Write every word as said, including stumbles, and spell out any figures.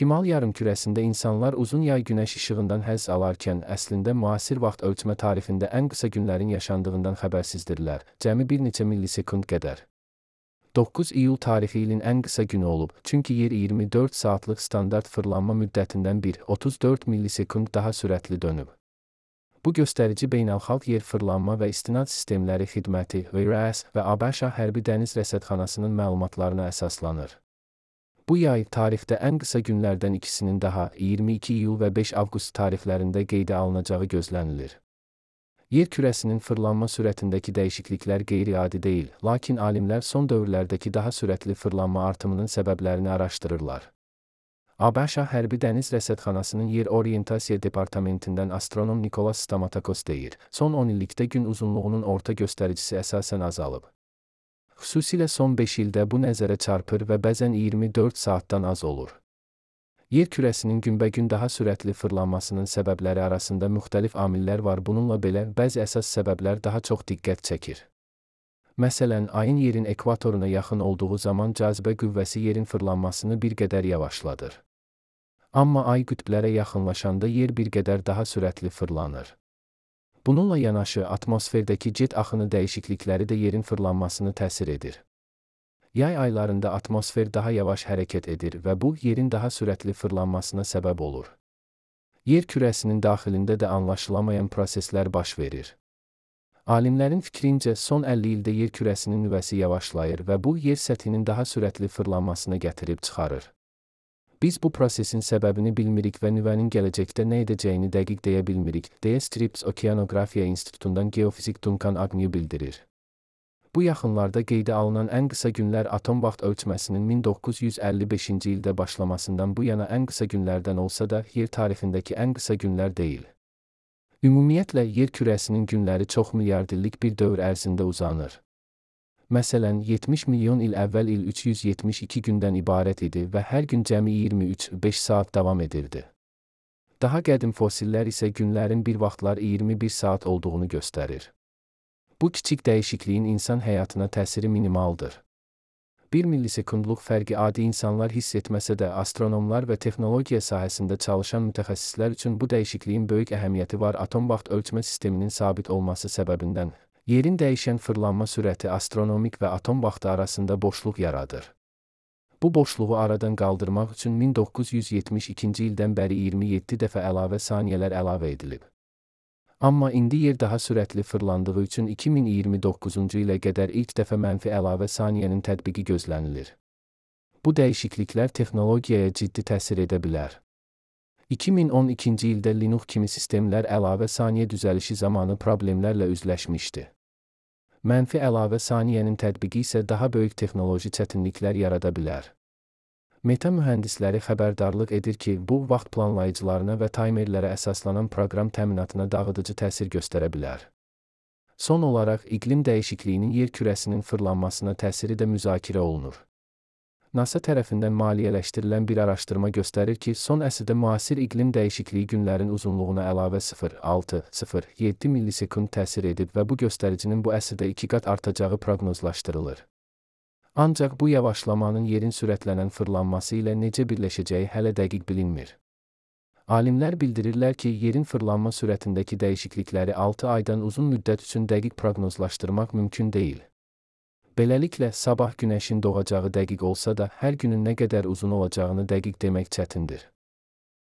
Şimal yarımkürəsində insanlar uzun yay günəş işığından həzz alarkən, əslində müasir vaxt ölçmə tarixində ən qısa günlərin yaşandığından xəbərsizdirlər, cəmi bir neçə millisekund qədər. doqquz iyul tarixi ilin ən qısa günü olub, çünki yer iyirmi dörd saatlıq standart fırlanma müddətindən bir nöqtə otuz dörd millisekund daha sürətli dönüb. Bu göstərici Beynəlxalq Yer Fırlanma və İstinad Sistemləri Xidməti və ABŞ Hərbi Dəniz Rəsədxanasının məlumatlarına əsaslanır. Bu yay tarixdə ən qısa günlərdən ikisinin daha iyirmi iki iyul və beş avqust tarixlərində qeydə alınacağı gözlənilir. Yer kürəsinin fırlanma sürətindəki dəyişikliklər qeyri-adi deyil, lakin alimlər son dövrlərdəki daha sürətli fırlanma artımının səbəblərini araşdırırlar. ABŞ Hərbi Dəniz Rəsədxanasının Yer Orientasiya Departamentindən astronom Nikolas Stamatakos deyir, son on illikdə gün uzunluğunun orta göstəricisi əsasən azalıb. Xüsusilə son beş ildə bu nəzərə çarpır və bəzən iyirmi dörd saatdan az olur. Yer kürəsinin günbəgün daha sürətli fırlanmasının səbəbləri arasında müxtəlif amillər var, bununla belə bəzi əsas səbəblər daha çox diqqət çəkir. Məsələn, ayın yerin ekvatoruna yaxın olduğu zaman cazibə qüvvəsi yerin fırlanmasını bir qədər yavaşladır. Amma ay qütblərə yaxınlaşanda yer bir qədər daha sürətli fırlanır. Bununla yanaşı, atmosferdəki jet axını dəyişiklikləri də yerin fırlanmasını təsir edir. Yay aylarında atmosfer daha yavaş hərəkət edir və bu, yerin daha sürətli fırlanmasına səbəb olur. Yer kürəsinin daxilində də anlaşılamayan proseslər baş verir. Alimlərin fikrincə, son əlli ildə yer kürəsinin nüvəsi yavaşlayır və bu, yer səthinin daha sürətli fırlanmasına gətirib çıxarır. Biz bu prosesin səbəbini bilmirik və nüvənin gələcəkdə nə edəcəyini dəqiq deyə bilmirik, deyə Scripps Okeanografiya İnstitutundan geofizik Duncan Agnew bildirir. Bu yaxınlarda qeydə alınan ən qısa günlər atom vaxt ölçməsinin min doqquz yüz əlli beşinci ildə başlamasından bu yana ən qısa günlərdən olsa da, yer tarixindəki ən qısa günlər deyil. Ümumiyyətlə, yer kürəsinin günləri çox milyard illik bir dövr ərzində uzanır. Məsələn, yetmiş milyon il əvvəl il üç yüz yetmiş iki gündən ibarət idi və hər gün cəmi iyirmi üç beş saat davam edirdi. Daha qədim fosillər isə günlərin bir vaxtlar iyirmi bir saat olduğunu göstərir. Bu kiçik dəyişikliyin insan həyatına təsiri minimaldır. bir millisekundluq fərqi adi insanlar hiss etməsə də, astronomlar və texnologiya sahəsində çalışan mütəxəssislər üçün bu dəyişikliyin böyük əhəmiyyəti var. Atom vaxt ölçmə sisteminin sabit olması səbəbindən, yerin dəyişən fırlanma sürəti astronomik və atom vaxtı arasında boşluq yaradır. Bu boşluğu aradan qaldırmaq üçün min doqquz yüz yetmiş ikinci ildən bəri iyirmi yeddi dəfə əlavə saniyələr əlavə edilib. Amma indi yer daha sürətli fırlandığı üçün iki min iyirmi doqquzuncu ilə qədər ilk dəfə mənfi əlavə saniyənin tətbiqi gözlənilir. Bu dəyişikliklər texnologiyaya ciddi təsir edə bilər. iki min on ikinci ildə Linux kimi sistemlər əlavə saniyə düzəlişi zamanı problemlərlə üzləşmişdi. Mənfi əlavə saniyənin tətbiqi isə daha böyük texnoloji çətinliklər yarada bilər. Meta mühəndisləri xəbərdarlıq edir ki, bu, vaxt planlayıcılarına və taymerlərə əsaslanan proqram təminatına dağıdıcı təsir göstərə bilər. Son olaraq, iqlim dəyişikliyinin yer kürəsinin fırlanmasına təsiri də müzakirə olunur. NASA tərəfindən maliyyələşdirilən bir araşdırma göstərir ki, son əsrdə müasir iqlim dəyişikliyi günlərin uzunluğuna əlavə sıfır nöqtə altı sıfır yeddi millisekund təsir edib və bu göstəricinin bu əsrdə iki qat artacağı proqnozlaşdırılır. Ancaq bu yavaşlamanın yerin sürətlənən fırlanması ilə necə birləşəcəyi hələ dəqiq bilinmir. Alimlər bildirirlər ki, yerin fırlanma sürətindəki dəyişiklikləri altı aydan uzun müddət üçün dəqiq proqnozlaşdırmaq mümkün deyil. Beləliklə, sabah günəşin doğacağı dəqiq olsa da, hər günün nə qədər uzun olacağını dəqiq demək çətindir.